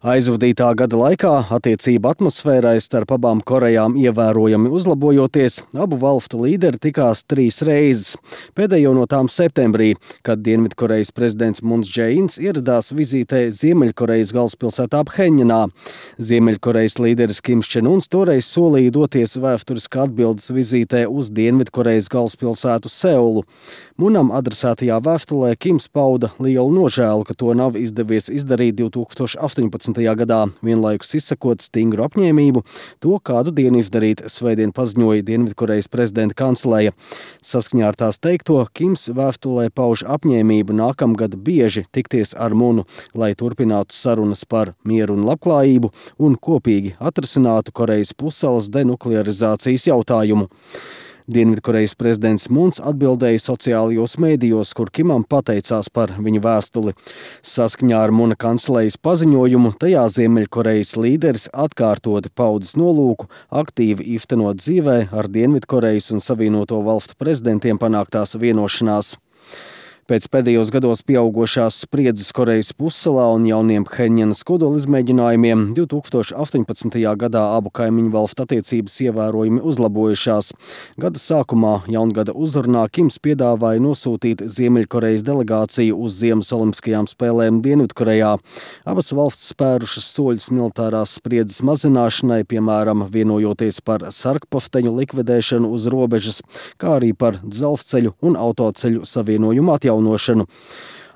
Aizvadītā gada laikā attiecību atmosfērai starp abām Korejām ievērojami uzlabojoties, abu valstu līderi tikās 3 reizes. Pēdējo no tām septembrī, kad Dienvidkorejas prezidents Muns Džeins ieradās vizītē Ziemeļkorejas galvaspilsētā Phenjanā. Ziemeļkorejas līderis Kims Čen Uns toreiz solīja doties vēsturiskā atbildes vizītē uz Dienvidkorejas galvaspilsētu Seulu. Munam adresētajā vēstulē Kims pauda lielu nožēlu, ka to nav izdevies izdarīt 2018. gadā, vienlaikus izsakot stingru apņēmību to kādu dienu izdarīt, svētdien paziņoja Dienvidkorejas prezidenta kanceleja. Saskaņā ar tās teikto, Kims vēstulē pauž apņēmību nākamgad bieži tikties ar Munu, lai turpinātu sarunas par mieru un labklājību un kopīgi atrisinātu Korejas pussalas denuklearizācijas jautājumu. Dienvidkorejas prezidents Muns atbildēja sociālajos mēdījos, kur Kimam pateicās par viņa vēstuli. Saskaņā ar Muna kancelejas paziņojumu, tajā Ziemeļkorejas līderis atkārtoti paudis nolūku aktīvi īstenot dzīvē ar Dienvidkorejas un Savienoto valstu prezidentiem panāktās vienošanās. Pēc pēdējos gados pieaugošās spriedzes Korejas pussalā un jauniem Phenjanas kodolizmēģinājumiem 2018. gadā abu kaimiņu valstu attiecības ievērojami uzlabojušās. Gada sākumā jaungada uzrunā Kims piedāvāja nosūtīt Ziemeļkorejas delegāciju uz Ziemas olimpiskajām spēlēm Dienvidkorejā. Abas valstis spērušas soļus militārās spriedzes mazināšanai, piemēram, vienojoties par sarkpofteņu likvidēšanu uz robežas, kā arī par dzelzceļu un autoceļu savienojumu atjaunošanu.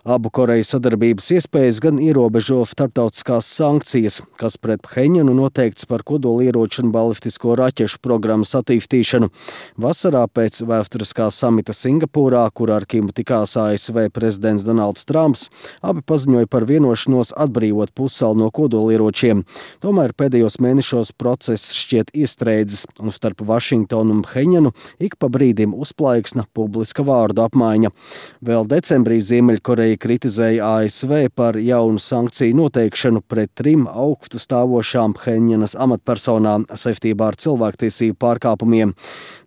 Abu Koreju sadarbības iespējas gan ierobežo starptautiskās sankcijas, kas pret Phenjanu noteikts par kodolieroču un balistisko raķešu programmas attīstīšanu. Vasarā pēc vēsturiskā samita Singapūrā, kur ar Kimu tikās ASV prezidents Donalds Trumps, abi paziņoja par vienošanos atbrīvot pussalu no kodolieročiem. Tomēr pēdējos mēnešos process šķiet iestrēdzis, un starp Vašingtonu un Phenjanu ik pa brīdim uzplaiksna publiska vārdu apmaiņa. Vēl decembrī Ziemeļkoreja kritizēja ASV par jaunu sankciju noteikšanu pret 3 augstu stāvošām Phenjanas amatpersonām saistībā ar cilvēktiesību pārkāpumiem.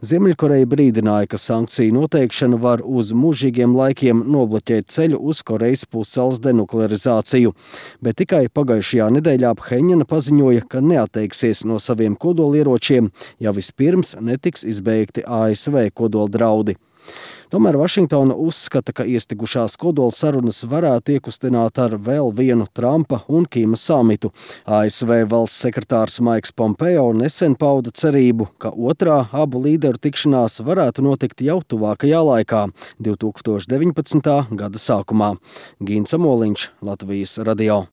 Ziemeļkoreja brīdināja, ka sankciju noteikšana var uz mūžīgiem laikiem nobloķēt ceļu uz Korejas pussalas denuklearizāciju. Bet tikai pagājušajā nedēļā Phenjana paziņoja, ka neatteiksies no saviem kodolieročiem, ja vispirms netiks izbeigti ASV kodoldraudi. Tomēr Vašingtona uzskata, ka iestigušās kodola sarunas varētu iekustināt ar vēl vienu Trumpa un Kima samitu. ASV valsts sekretārs Maiks Pompeo nesen pauda cerību, ka otrā abu līderu tikšanās varētu notikt jau tuvākajā laikā, 2019. gada sākumā. Gints Amoliņš, Latvijas radio.